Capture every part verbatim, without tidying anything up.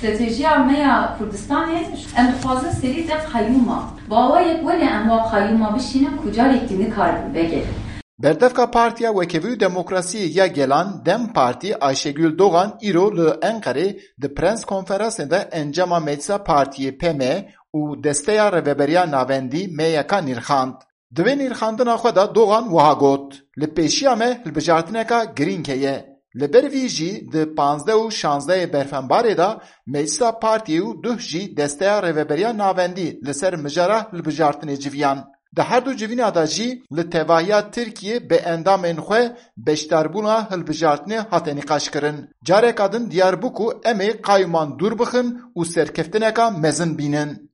Stratejiya me ya Kurdistanê, em dixwazin serî de qeyûma. Bawa yek welê em wa qeyûma bişînin ku carek din nikaribin vegerin. Berdevka Partiya Wekevî û Demokrasiyê ya Gelan, DEM Partî, Ayşegül Doğan îro li Enqerê di prens konferansê de encama Meclisa Partiyê P M û Desteya Rêveberiya Navendî, M Y K, nirxand. Di vê nirxandina xwe de Doğan wiha got, Li pêşiya me hilbijartineka girîng heye. Li ber vî jî di panzdeh û şazdehê berfembarê de Meclisa Partiyê û duh jî Desteya Rêveberiya Navendî li ser mijara hilbijartinê civiyan. Di her du civîna de jî li tevahiya Tirkiyê bi endamên xwe beşdarbûna hilbijartinê hate nîqaşkirin. Careka din diyar bû ku em ê qayûman dûr bixin û serkeftineka mezin bînin.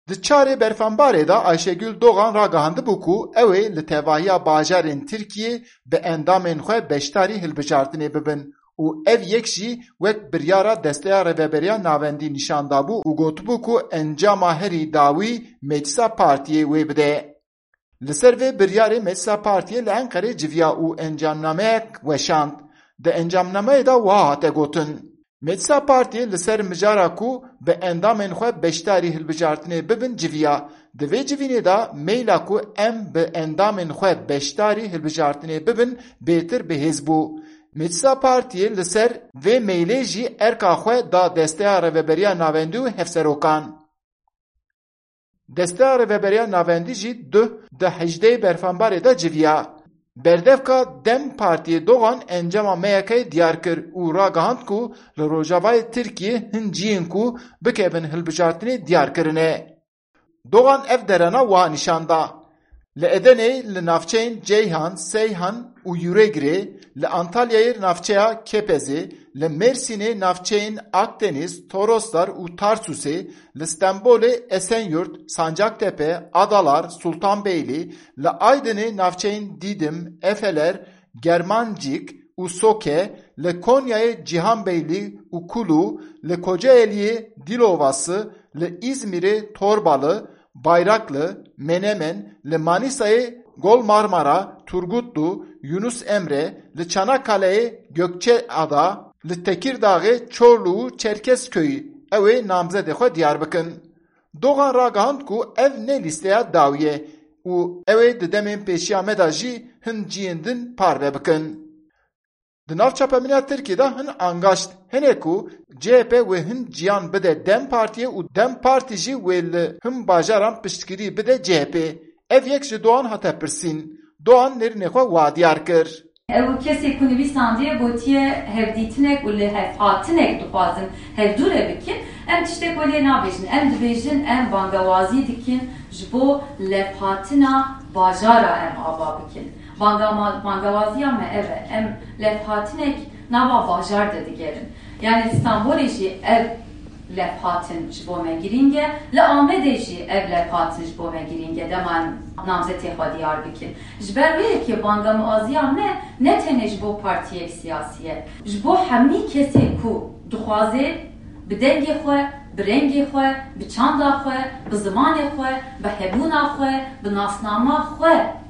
Di çarê berfembarê de Ayşegül Doğan ragihandibû ku ew ê li tevahiya bajarên Tirkiyê bi endamên xwe beşdarî hilbijartinê bibin û ev yek jî wek biryara Desteya Rêveberiya Navendî nîşan dabû û gotibû ku encama herî dawî Meclisa Partiyê wê bide. Li ser vê biryarê Meclisa Partiyê li Enqerê civiya û encamnameyek weşand. Di encamnameyê de wiha hate gotin, Meclisa Partiyê li ser mijara ku bi endamên xwe beşdarî hilbijartinê bibin civiya. Di vê civînê de meyla ku em bi endamên xwe beşdarî hilbijartinê bibin bêtir bi hêz bû. Meclisa Partiyê li ser vê meylê jî erka xwe da Desteya Rêveberiya Navendî û hevserokan. Desteya Rêveberiya Navendî jî duh di hejdehê berfembarê de civiya. Berdevka DEM Partiyê Doğan encama M Y K'ê diyar kir û ragihand ku li Rojavayê Tirkiyê hin cihên ku bikevin hilbijartinê diyar kirine. Doğan ev derena wiha nîşan da. Li Edeneyê li navçeyên Ceyhan, Seyhan û Yüregrê, li Antalyayê navçeya Kepezê, li Mêrsînê navçeyên Akdeniz, Toroslar û Tarsusê, li Stenbolê Esenyurt, Sancaktepe, Adalar, Sultanbeyli, li Aydinê navçeyên Dîdim, Efeler, Germancîk û Soke, li Konyayê Cîhanbeylî û Kulû, li Kocaeliyê Dilovası, li Îzmîrê Torbalı, Bayraklı, Menemen, li Manîsayê Gol Marmara, Turgutlu, Yunus Emre, li Çanakkale'yê Gökçeada, li Tekirdağê Çorlu û Çerkezköy'ü ew ê namzedê xwe diyar bikin. Doğan ragihand ku ev ne lîsteya dawî ye û ew ê di demên pêşiya me de jî hin cihên din parve bikin. Di nav çapemeniya Tirkiyê de hin angaşt hene ku C H P wê hin ciyan bide DEM Partiyê û DEM Partî jî wê li hin bajaran piştgirî bide C H P. Ev yek ji Doğan hate pirsîn. Doğan nêrînê xwe wa diyar kir. Ew kesê ku nivîsandiye gotiye hevdîtinek û li hevhatinek dixwazin hevdûre bikin. Em tiştek welê nabêjin. Em dibêjin em bangewazî dikin ji bo levhatina bajara em ava bikin. Bangama-, bangewaziya me ev e. Em levhatinek nava bajar de digerin. Yani li Stenbolê jî ev levhatin ji bo me girîng e. Li Amedê jî ev levhatin ji bo me girîng e. Dema em namzetê xwe diyar bikin. Ji ber wê yekê bangemaziya me ne tenê ji bo partiyek siyasî ye. Ji bo hemî kesê ku dixwaze bi dengê xwe, bi rengê xwe, bi çanda xwe, bi zimanê xwe, bi hebûna xwe, bi nasnama xwe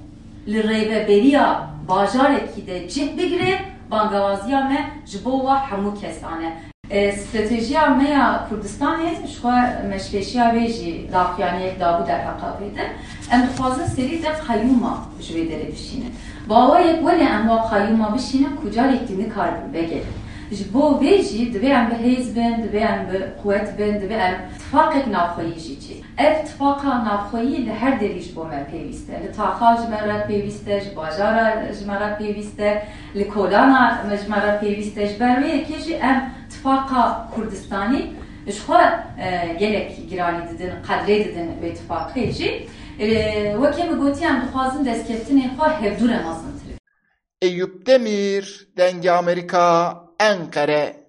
li rêveberiya bajarekî de cih bigire, bangewaziya me ji bo wa hemû kesan e. E, stratejiya me ya Kurdistanê, ji xwe meşkeşiya wê jî daxuyaniyek dabû derheqa vê de. Em dixwazin serî de qeyûma ji wê derê bişînin. Bawa yek welê em wa qeyûma bişînin ku carek din nikaribin vegerin. Ji bo vê jî divê em bi hêz bin, divê em bi quwet bin, divê em tifaqek navxweyî jî çê. Ev tifaqa navxweyî li her derî ji bo me pêwîst e. Li taxa ji me re pêwîst e, ji bajara ji me re pêwîst e, li kolana me ji me re pêwîst e. Ji ber wê yekê jî em tifaqa Kurdistanî ji xwe, e, gelek giranî didin, qedrê didin wê tifaqê jî. E, wekî min gotî, em dixwazin destkeftinên xwe hevdû re mezintir bikin. Eyüp Demir, Dengê Amerîka, Enqere.